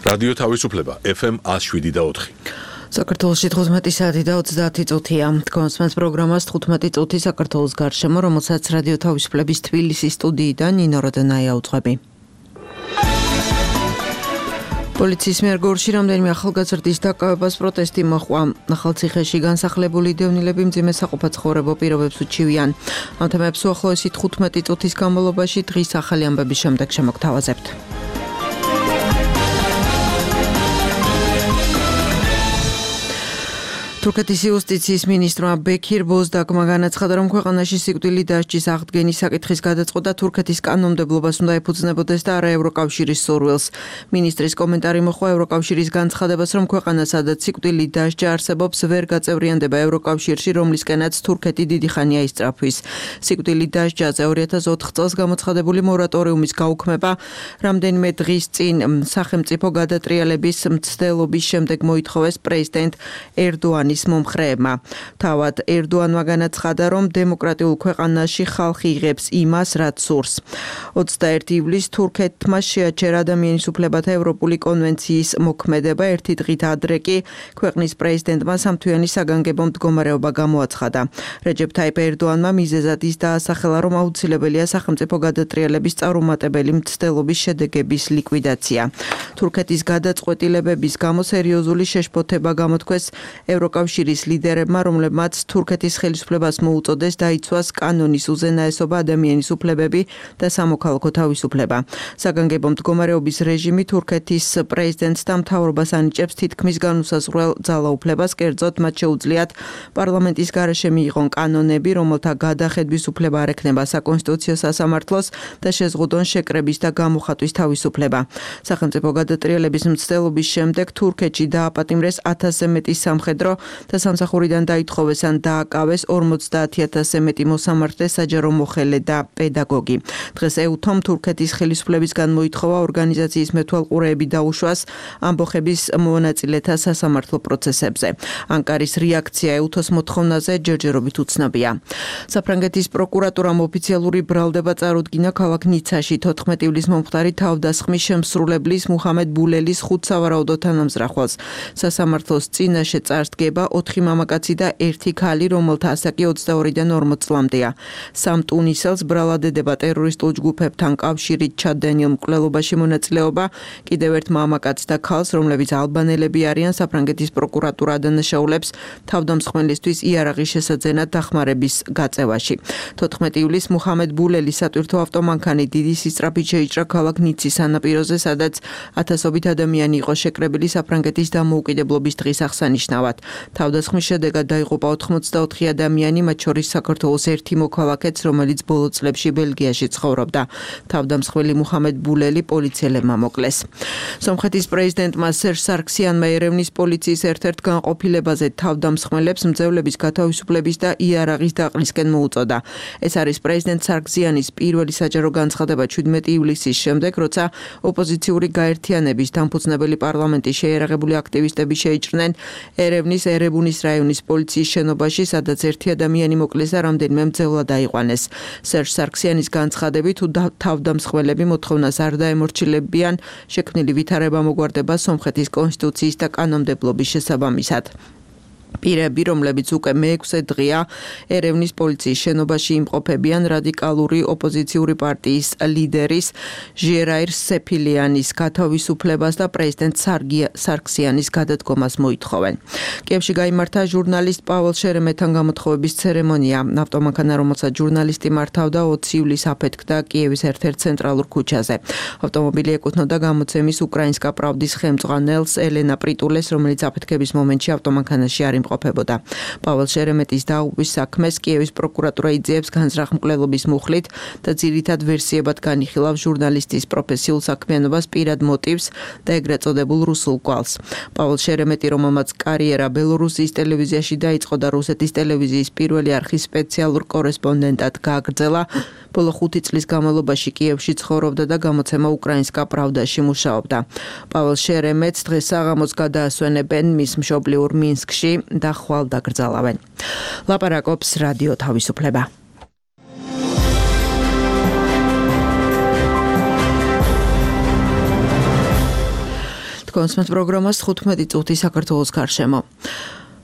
რადიო თავისუფლება FM 107.4. საქართველოში 15 საათი და 30 წუთია. კონსმენს პროგრამას 15 წუთი საქართველოს გარშემო, რომელსაც რადიო თავისუფლების თბილისის სტუდიიდან ნინო როდონაია უძღვები. პოლიციის მიერ გორში რამდენიმე ახალგაზრდის დაკავებას პროტესტი მოჰყვა. ახალციხეში განსახლებული დევნილები მძიმე საყოფაცხოვრებო პირობებს უჩივიან. ამ თემებს უახლოესი 15 წუთის განმავლობაში დღის ახალი ამბების შემდეგ შემოგთავაზებთ. თურქეთის იუსტიციის მინისტრმა ბექირ ბოზდაკმა განაცხადა, რომ ქვეყანაში სიკვდილი დასჯის აღდგენის საკითხის გადაწყვეტა თურქეთის კანონმდებლობას უნდა ეფუძნებოდეს და არა ევროკავშირის სურვილს. მინისტრის კომენტარი მოჰყვა ევროკავშირის განცხადებას, რომ ქვეყანა, სადაც სიკვდილი დასჯა არსებობს, ვერ გაწევრიანდება ევროკავშირში, რომლისკენაც თურქეთი დიდი ხანია ისწრაფვის. სიკვდილი დასჯაზე 2004 წელს გამოცხადებული მორატორიუმის გაუქმება რამდენიმე დღის წინ სახელმწიფო გადატრიალების მცდელობის შემდეგ მოითხოვეს პრეზიდენტ ერდოანის მომხრეებმა. თავად ერდოანმა განაცხადა, რომ დემოკრატიულ ქვეყანაში ხალხი იღებს იმას, რაც სურს. 21 ივლისს თურქეთმა შეაჩერა ადამიანის უფლებათა ევროპული კონვენციის მოქმედება. ერთი დღით ადრე კი ქვეყნის პრეზიდენტმა სამთვიანი საგანგებო მდგომარეობა გამოაცხადა. რეჯეფ თაიპ ერდოანმა მიზეზად ის დაასახელა, რომ აუცილებელია სახელმწიფო გადატრიალების წარუმატებელი მცდელობის შედეგების ლიკვიდაცია. თურქეთის გადაწყვეტილებების გამო სერიოზული შეშფოთება გამოთქვეს ევროკავშირის ლიდერებმა, რომლებმაც თურქეთის ხელისუფლებას მოუწოდეს დაიცვას კანონის უზენაესობა, ადამიანის უფლებები და სამოქალაქო თავისუფლება. საგანგებო მდგომარეობის რეჟიმი თურქეთის პრეზიდენტს და მთავრობას ანიჭებს თითქმის განუსაზღვრელ ძალაუფლებას, კერძოდ მათ შეუძლიათ პარლამენტის გარეშე მიიღონ კანონები, რომელთა გადახედვის უფლება არ ექნება საკონსტიტუციო სასამართლოს და შეზღუდონ შეკრების და გამოხატვის თავისუფლება. სახელმწიფო გადატრიალების მცდელობის შემდეგ თურქეთში დააპატიმრეს 1000-ზე მეტი სამხედრო და სამსახურიდან დაითხოვეს ან დააკავეს 50,000-ზე მეტი მოსამართლე, საჯარო მოხელე და პედაგოგი. დღეს ეუთომ თურქეთის ხელისუფლებისგან მოითხოვა ორგანიზაციის მეთვალყურეები დაუშვას ამბოხების მონაწილეთა სასამართლო პროცესებზე. ანკარის რეაქცია ეუთოს მოთხოვნაზე ჯერჯერობით უცნობია. საფრანგეთის პროკურატურამ ოფიციალური ბრალდება წარუდგინა ქალაქ ნიცაში 14 ივლისს მომხდარი თავდასხმის შემსრულებლის მუჰამედ ბულელის 5 სავარაუდო თანამზრახველს. სასამართლოს წინაშე წარსდგება 4 მამაკაცი და 1 ქალი, რომელთა ასაკი 22-დან 40 წლამდეა. 3 ტუნისელს ბრალადედება ტერორისტულ ჯგუფებთან კავშირით ჩადენილ მკვლელობაში მონაწილეობა, კიდევ ერთ მამაკაცს და ქალს, რომლებიც ალბანელები არიან, საფრანგეთის პროკურატურა ადანაშაულებს თავდამსხმელისთვის იარაღის შესაძენად დახმარების გაწევაში. 14 ივლისს მუჰამედ ბულელის სატვირთო ავტომანქანი დიდი სისწრაფით შეიჭრა ქალაქ ნიცის სანაპიროზე, სადაც ათასობით ადამიანი იყო შეკრებილი საფრანგეთის დამოუკიდებლობის დღის აღსანიშნავად. თავდასხმის შედეგად დაიღუპა 84 ადამიანი, მათ შორის საქართველოს ერთი მოქალაქეც, რომელიც ბოლო წლებში ბელგიაში ცხოვრობდა. თავდამსხმელი მუჰამედ ბულელი პოლიციელებმა მოკლეს. სომხეთის პრეზიდენტმა სერჟ სარქსიანმა ერევნის პოლიციის ერთ-ერთ განყოფილებაზე თავდამსხმელებს მძევლების გათავისუფლების და იარაღის დაყრისკენ მოუწოდა. ეს არის პრეზიდენტ სარქსიანის პირველი საჯარო განცხადება 17 ივლისის შემდეგ, როცა ოპოზიციური გაერთიანების დამფუძნებელი პარლამენტის შეიარაღებული აქტივისტები შეიჭრნენ ერევნის ერებუნის რაიონის პოლიციის შენობაში, სადაც ერთი ადამიანი მოკლეს და რამდენიმე მძევლად დაიყვანეს. სერჟ სარქსიანის განცხადებით, თუ თავდამსხმელები მოთხოვნას არ დაემორჩილებიან, შექმნილი ვითარება მოგვარდება სომხეთის კონსტიტუციის და კანონმდებლობის შესაბამისად. პირები, რომლებიც უკვე მე-6 დღეა ერევნის პოლიციის შენობაში იმყოფებიან, რადიკალური ოპოზიციური პარტიის ლიდერის ჟიერაირ სეფილიანის გათავისუფლებას და პრეზიდენტ სარქსიანის გადადგომას მოითხოვენ. კიევში გაიმართა ჟურნალისტ პაველ შერემეტთან გამოთხოვების ცერემონია. ავტომანქანა, რომელსაც ჟურნალისტი მართავდა, 20 ივლისს აფეთქდა კიევის ერთ-ერთ ცენტრალურ ქუჩაზე. ავტომობილი ეკუთვნოდა გამოცემის უკრაინსკა პრავდის ხელმძღვანელს ელენა პრიტულეს, რომელიც აფეთქების მომენტში ავტომანქანაში არ იმყოფებოდა. პაველ შერემეტის დაღუპვის საქმეს კიევის პროკურატურა იძიებს განზრახ მკვლელობის მუხლით და ძირითად ვერსიებად განიხილავს ჟურნალისტის პროფესიულ საქმიანობას, პირად მოტივს და ეგრეთ წოდებულ რუსულ კვალს. პაველ შერემეტი, რომელმაც კარიერა ბელორუსიის ტელევიზიაში დაიწყო და რუსეთის ტელევიზიის პირველი არხის სპეციალურ კორესპონდენტად გააგრძელა, ბოლო 5 წლის განმავლობაში კიევში ცხოვრობდა და გამოცემა უკრაინსკა პრავდაში მუშაობდა. პაველ შერემეტს დღეს საღამოს გადაასვენებენ მის მშობლიურ მინსკში და ხვალ დაკრძალავენ. ლაპარაკობს რადიო თავისუფლება. თქვენს პროგრამას 15 წუთი საქართველოს გარშემო.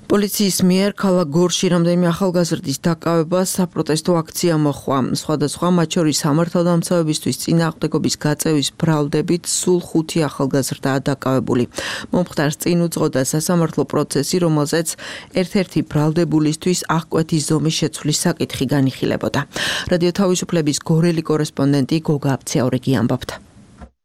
პოლიციის მიერ ქალაქ გორში რამდენიმე ახალგაზრდის დაკავება საპროტესტო აქცია მოხდა. სხვადასხვა მათ შორის სამართალდამცავებისთვის წინააღმდეგობის გაწევის ბრალდებით სულ 5 ახალგაზრდაა დაკავებული. მომხდარს წინ უძღოდა სასამართლო პროცესი, რომელზეც ერთ-ერთი ბრალდებულისთვის აღკვეთის ზომის შეცვლის საკითხი განიხილებოდა. რადიო თავისუფლების გორელი კორესპონდენტი გოგა აბციაურიგი ამბობდა.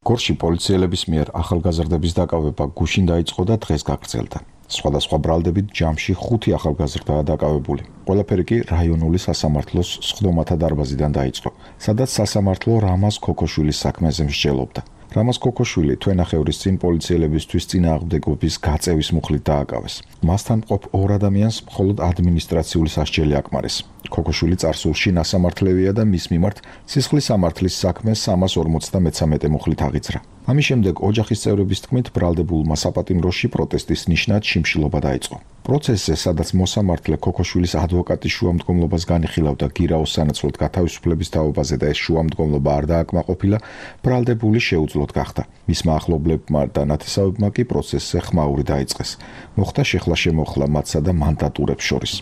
გორში პოლიციელების მიერ ახალგაზრდების დაკავება გუშინ დაიწყო და დღეს გაგრძელდა. სხვადასხვა ბრალდებით ჯამში 5 ახალგაზრდაა დაკავებული. ყველაფერი კი რაიონული სასამართლოს სხდომათა დარბაზიდან დაიწყო, სადაც სასამართლო რამაზ ქოქოშვილის საქმეზე მსჯელობდა. რამაზ ქოქოშვილი თვენახევრის წინ პოლიციელებისთვის წინააღმდეგობის გაწევის მუხლით დააკავეს. მასთან მყოფ 2 ადამიანს მხოლოდ ადმინისტრაციული სასჯელი აკმარეს. ქოქოშვილი წარსულში ნასამართლევია და მის მიმართ სისხლის სამართლის საქმე 353 მუხლით აღიძრა. ამის შემდეგ ოჯახის წევრების თქმით ბრალდებულმა საპატიმროში პროტესტის ნიშნად შიმშილობა დაიწყო. პროცესზე, სადაც მოსამართლე ქოქოშვილის ადვოკატის შუამდგომლობას განიხილავდა გირაოს სანაცვლოდ გათავისუფლების თაობაზე და ეს შუამდგომლობა არ დააკმაყოფილა, ბრალდებული შეუძლოდ გახდა. მისმა ახლობლებმა და ნათესავებმა კი პროცესზე ხმაური დაიწყეს. მოხდა შეხლა-შემოხლა მათსა და მანდატურებს შორის.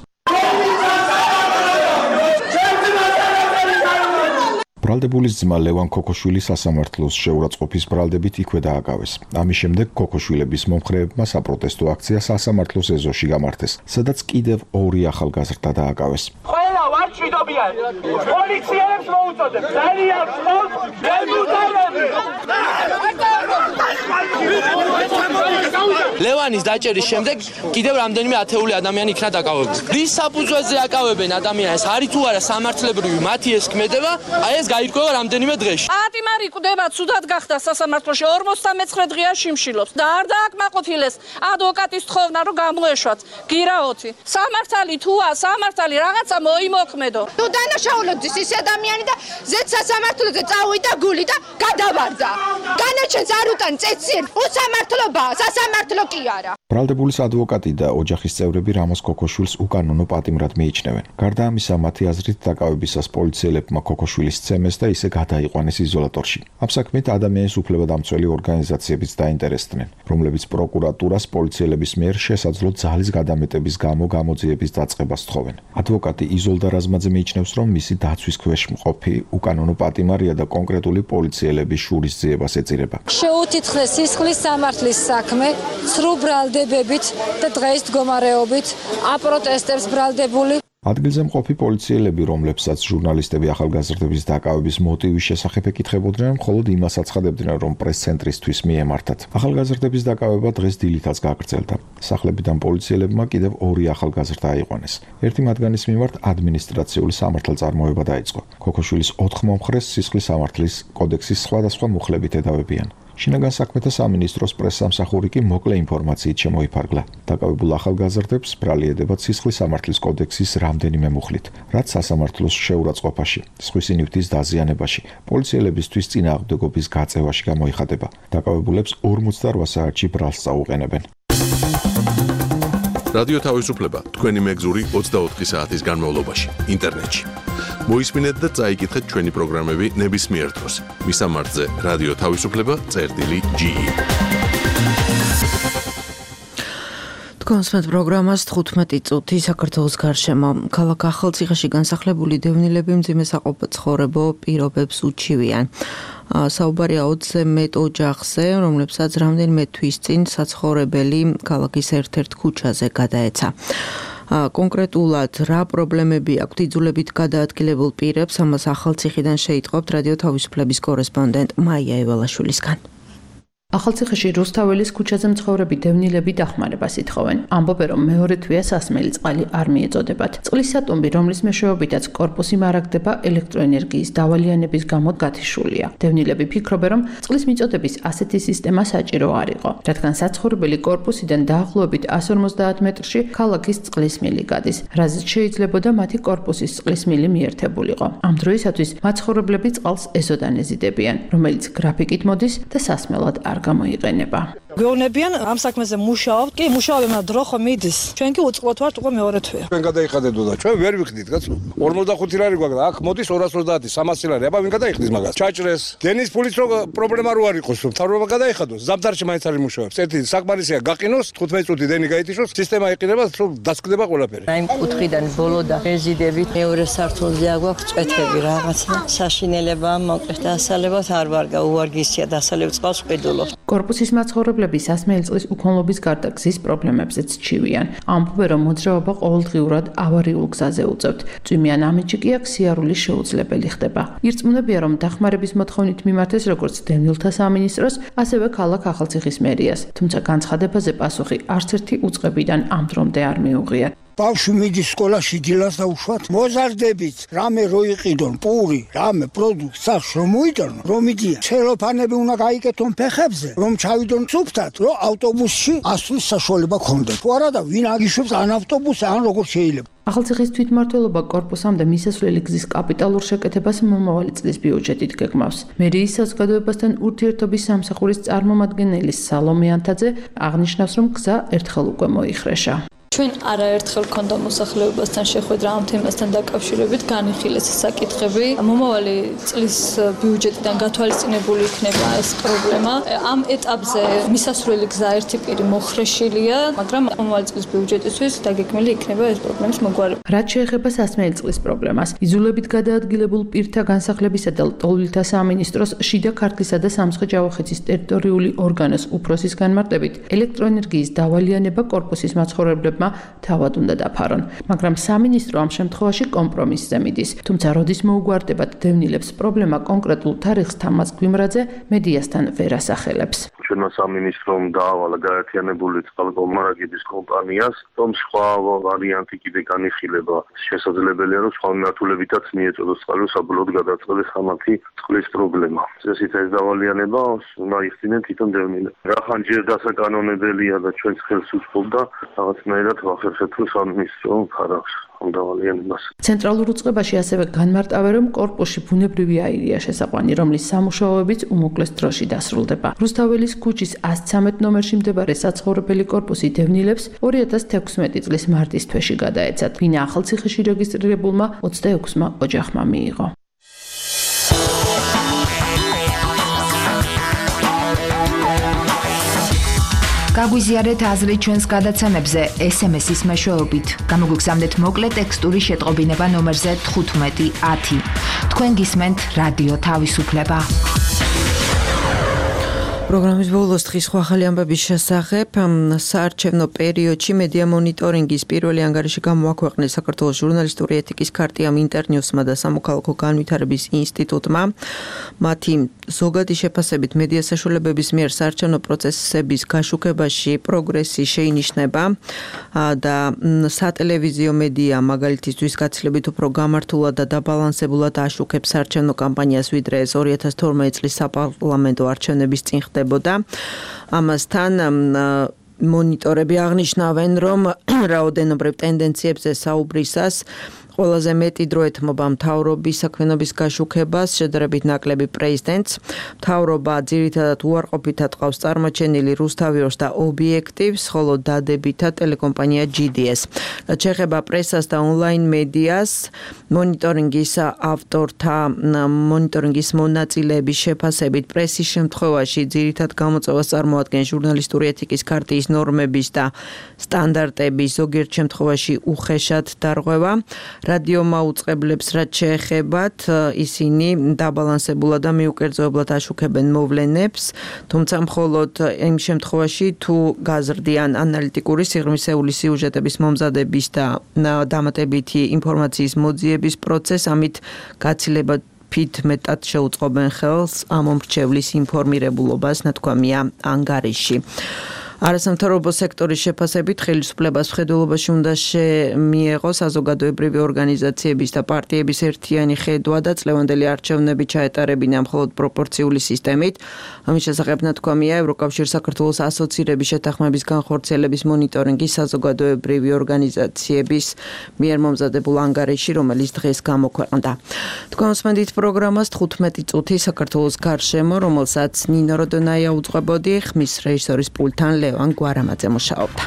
ბრალდებულის ძმა ლევან ქოქოშვილი სასამართლოს შეურაცხყოფის ბრალდებით იქვე დააკავეს. ამის შემდეგ ქოქოშვილების მომხრეებმა საპროტესტო აქცია სასამართლოს ეზოში გამართეს, სადაც კიდევ 2 ახალგაზრდა დააკავეს. ყველა ვარ ჭიდობიან. პოლიციელებს მოუწოდებ. ძალიან ხმობ დეპუტატები. ლევანის დაჭერის შემდეგ კიდევ რამდენიმე ათეული ადამიანი იქნა დაკავებული. რის საფუძველზე აკავებენ ადამიანს, არის თუ არა სამართლებრივი მათი ეს ქმედება, აი ეს გაირკვევა რამდენიმე დღეში. პატიმარი კვდება, ცუდად გახდა სასამართლოში 59 დღეა შიმშილობს და არ დააკმაყოფილეს ადვოკატის თხოვნა რომ გამოეშვათ გირაოთი. სამართალი თუა, სამართალი რაღაცა მოიმოქმედო. თუ დანაშაულობდეს ის ადამიანი და ზეც სასამართლოზე წავიდა გული და გადავარდა. განაჩენს არ უტან წეციერ, უსამართლობაა, სასამართლო კი არა. ბრალდებულის ადვოკატი და ოჯახის წევრები რამაზ ქოქოშვილს უკანონო პატიმრად მიიჩნევენ. გარდა ამისა, მათი აზრით დაკავებისას პოლიციელებმა ქოქოშვილის ცემეს და ისე გადაიყვანეს იზოლატორში. ამ საქმით ადამიანის უფლებადამცველი ორგანიზაციებიც დაინტერესდნენ, რომლებიც პროკურატურას პოლიციელების მიერ შესაძლო ძალის გადამეტების გამო გამოძიების დაწყებას თხოვენ. ადვოკატი იზოლდა რაზმაძე მიიჩნევს, რომ მისი დაცვის ქვეშ მყოფი უკანონო პატიმარია და კონკრეტული პოლიციელების შურისძიებას ეწირება. შეუთითხრეს სისხლის სამართლის საქმე, სრულ ბრალდებებით და დღეს მდგომარეობით აპროტესტებს ბრალდებული. ადგილზე მყოფი პოლიციელები, რომლებსაც ჟურნალისტები ახალგაზრდების დაკავების მოტივის შესახებ ეკითხებოდნენ, მხოლოდ იმას აცხადებდნენ, რომ პრეს-ცენტრისთვის მიემართათ. ახალგაზრდების დაკავება დღეს დილითაც გაგრძელდა. სახლებიდან პოლიციელებმა კიდევ 2 ახალგაზრდა აიყვანეს. ერთი მათგანის მიმართ ადმინისტრაციული სამართალწარმოება დაიწყო. ქოქოშვილის 4 მომხრეს სისხლის სამართლის კოდექსის სხვადასხვა მუხლებით ედავებიან. შინაგან საქმეთა სამინისტროს პრესსამსახური კი მოკლე ინფორმაციით შემოიფარგლა. დაკავებულ ახალგაზრდებს ბრალი ედებათ სისხლის სამართლის კოდექსის რამდენიმე მუხლით, რაც სასამართლოს შეურაცხყოფაში, სხვისი ნივთის დაზიანებაში, პოლიციელებისთვის წინააღმდეგობის გაწევაში გამოიხადება. დაკავებულებს 48 საათში ბრალს წაუყენებენ. რადიო თავისუფლება თქვენი მეგზური 24 საათის განმავლობაში ინტერნეტში. მოისმინეთ და წაიკითხეთ ჩვენი პროგრამები ნებისმიერ დროს. მისამართზე რადიო თავისუფლება.ge. თქვენს პროგრამას 15 წუთი საქართველოს გარშემო. ქალაქ ახალციხეში განსახლებული დევნილები მძიმე საყოფაცხოვრებო პირობებს უჩივიან. საუბარია 20-ზე მეტ ოჯახზე, რომლებსაც რამდენიმე თვის წინ საცხოვრებელი ქალაქის ერთ-ერთ ქუჩაზე გადაეცა. კონკრეტულად რა პრობლემები აქვთ იძულებით გადაადგილებულ პირებს, ამას ახალციხიდან შეიტყობთ რადიო თავისუფლების კორესპონდენტ მაია ევალაშვილისგან. ახალციხეში რუსთაველის ქუჩაზე მცხოვრები დევნილები დახმარებას ითხოვენ. ამბობენ, რომ მეორე თვეა სასმელი წყალი არ მიეწოდებათ. წყლის სატუმბი, რომლის მეშვეობითაც კორპუსი მარაგდება, ელექტროენერგიის დავალიანების გამო გათიშულია. დევნილები ფიქრობენ, რომ წყლის მიწოდების ასეთი სისტემა საჭირო არ იყო, რადგან საცხოვრებელი კორპუსიდან დაახლოებით 150 მეტრში ქალაქის წყლის მილი გადის, რაზეც შეიძლებოდა მათი კორპუსის წყლის მილი მიერთებულიყო. ამ დროისათვის მაცხოვრებლები წყალს ეზოდან ეზიდებიან, რომელიც გრაფიკით მოდის და სასმელად არ გამოიყენება. გვეუბნებიან ამ საქმეზე მუშაობთ. კი, მუშაობენ, დრო ხომ მიდის. ჩვენ კი უწყლოდ ვართ უკვე მეორე თვეა. ჩვენ გადაიხადებდო და ჩვენ ვერ ვიხდით, კაცო. 45 ლარი გვაქვს, აქ მოდის 230, 300 ლარი. აბა ვინ გადაიხდის მაგას? ჩაჭრეს. დენის ფულიც რო პრობლემა რო არ იყოს, მთავრობა გადაიხადოს. ზამთარში მაინც არის მუშაობს. ერთი საკმარისია გაყინოს, 15 წუთი დენი გაითიშოს, სისტემა იყინება, რომ დასკდება ყველაფერი. აი კუთხიდან ბოლო და რეზიდებით მეორე სართულზე აგვაქვს წვეთები რაღაცა. საშინელება მოკლედ დასალებად არ ვარ გაუვარგისია დასალევ წყალს ყიდულობ. კორპუსის მაცხოვრებლები სასმელი წყლის უქონლობის გარდა გზის პრობლემებზეც ჩივიან. ამბობენ, რომ მოძრაობა ყოველდღიურად ავარიულ გზაზე უწევთ. წვიმიან ამინჩი კი აქ სიარული შეუძლებელი ხდება. ირწმუნებიან, რომ დახმარების მოთხოვნით მიმართეს როგორც დევნილთა სამინისტროს, ასევე ქალაქ ახალციხის მერიას. თუმცა განცხადებაზე პასუხი არც ერთი უწყებიდან ამ დრომდე არ მიუღია. ბავშვი მიდის სკოლაში დილას და უშუალოდ მოზარდებით, რამე რო იყიდონ, პური, რამე პროდუქტს სახში რომ მოიტანონ, რომ იდიან. ცელოფანები უნდა გაიკეთონ ფეხებზე, რომ ჩავიდონ სუფთად, რომ ავტობუსში ასვლის საშუალება ქონდეს. თუ არა და ვინ აგიშვებს ან ავტობუსზე, ან როგორ შეიძლება. ახალციხის თვითმმართველობა კორპუსამდე მისასვლელი გზის კაპიტალურ შეკეთებას მომავალი წლის ბიუჯეტით გეგმავს. მერიის საზოგადოებასთან ურთიერთობის სამსახურის წარმომადგენელი სალომე ანთაძე აღნიშნავს, რომ გზა ერთხელ უკვე მოიხრეშა. ჩვენ არაერთხელ გქონდა მოსახლეობასთან შეხვედრა ამ თემასთან დაკავშირებით, განიხილეს საკითხები. მომავალი წლის ბიუჯეტიდან გათვალისწინებული იქნება ეს პრობლემა. ამ ეტაპზე მისასვლელი გზა ერთი პირი მოხრეშილია, მაგრამ მომავალი წლის ბიუჯეტისთვის დაგეგმილი იქნება ეს პრობლემის მოგვარება. რაც შეეხება სასმელი წყლის პრობლემას, იზოლებით გადაადგილებულ პირთა განსახლებისა და ლტოლვილთა სამინისტროს შიდა ქართლისა და სამცხე-ჯავახეთის ტერიტორიული ორგანოს უფროსის განმარტებით, ელექტროენერგიის დავალიანება კორპუსის მაცხოვრებლებმა თავად უნდა დაფარონ, მაგრამ სამინისტრო ამ შემთხვევაში კომპრომისზე მიდის. თუმცა როდის მოუგვარდებათ დევნილებს პრობლემა კონკრეტულ თარიღს თამაზ გვიმრაძე მედიასთან ვერ ასახელებს. ჩვენმა სამინისტრომ დაავალა გაერთიანებული წყალმომარაგების კომპანიას, რომ სხვა ვარიანტი კიდე განიხილება. შესაძლებელია, რომ სხვა მიმართულებითაც მიეწოდოს წყალი საბოლოოდ გადაწყდეს ხამათი წყლის პრობლემა. წესით ეს დავალიანება უნდა იხსნიან თვითონ დევნილებს. რახან ჯერ დასაკანონებელია და ჩვენს ხელს უწყობდა რაღაცნაირად ვახერხებთ სამინისტრო ფარავს ამ დავალიანებას. ცენტრალურ უწყებაში ასევე განმარტავენ, რომ კორპუსში ბუნებრივი აირია შესაყვანი, რომლის სამუშაოებიც უმოკლეს დროში დასრულდება. რუსთაველის ქუჩის 113 ნომერში მდებარე საცხოვრებელი კორპუსი დევნილებს 2016 წლის მარტის თვეში გადაეცათ. ვინა ახალციხეში რეგისტრირებულმა 26-მა ოჯახმა მიიღო. გაგვიზიარეთ აზრი ჩვენს გადაცემებზე SMS-ის მეშვეობით. გამოგვიგზავნეთ მოკლე ტექსტური შეტყობინება ნომერზე 1510. თქვენ გისმენთ რადიო თავისუფლება. პროგრამის ბოლოს დღის ახალი ამბების შესახებ საარჩევნო პერიოდში მედია მონიტორინგის პირველი ანგარიში გამოაქვეყნეს საქართველოს ჟურნალისტური ეთიკის ქარტიამ, ინტერნიუსმა და სამოქალაქო განვითარების ინსტიტუტმა. მათი ზოგადი შეფასებით მედია საშუალებების მიერ საარჩევნო პროცესების გაშუქებაში პროგრესი შეინიშნება და სატელევიზიო მედია მაგალითისთვის გაცილებით უფრო გამართულად და დაბალანსებულად აშუქებს საარჩევნო კამპანიას, ვიდრე ეს 2012 წლის საპარლამენტო არჩევნების წინ ხდებოდა. ამასთან მონიტორები აღნიშნავენ, რომ რაოდენობრივ ტენდენციებზე საუბრისას ყველაზე მეტი დრო ეთმობა მთავრობის საქმიანობის გაშუქებას, შედარებით ნაკლები პრეზიდენტს. მთავრობა ძირითადად უარყოფითად ყავს წარმოჩენილი რუსთავიორს და ობიექტივს, ხოლო დადებითად ტელეკომპანია GDS. რაც შეეხება პრესას და ონლაინ მედიას, მონიტორინგის ავტორთა მონიტორინგის მონაწილეების შეფასებით პრესის შემთხვევაში ძირითად გამოწვევას წარმოადგენს ჟურნალისტური ეთიკის ქარტიის ნორმების და სტანდარტების ზოგიერთ შემთხვევაში უხეშად დარღვევა. რადიო მაუწყებლებს რაც შეეხებათ, ისინი დაბალანსებულად და მიუკერძოებლად აშუქებენ მოვლენებს, თუმცა მხოლოდ იმ შემთხვევაში, თუ გაზრდიან ანალიტიკური სიღრმისეული სიუჟეტების მომზადების და დამატებითი ინფორმაციის მოძიების პროცესს, ამით გაცილებად ფით მეტად შეუწყობენ ხელს ამ მომრჩევლის ინფორმირებულობას, ნათქვამია ანგარიში. არასამთავრობო სექტორის შეფასებით ხელისუფლებას მხედველობაში უნდა მიეღოს საზოგადოებრივი ორგანიზაციების და პარტიების ერთიანი ხედვა და წლევანდელი არჩევნები ჩაეტარებინა მხოლოდ პროპორციული სისტემით. ამის შესახებ ნათქვამია ევროკავშირ საქართველოს ასოცირების შეთანხმების განხორციელების მონიტორინგის საზოგადოებრივი ორგანიზაციების მიერ მომზადებულ ანგარიში, რომელიც დღეს გამოქვეყნდა. თქვენ უსმენთ პროგრამას 15 წუთი საქართველოს გარშემო, რომელსაც ნინო როდონაია უძღვებოდი, ხმის რეჟისორის პულტთან ლევან გვარამაძე მუშაობდა.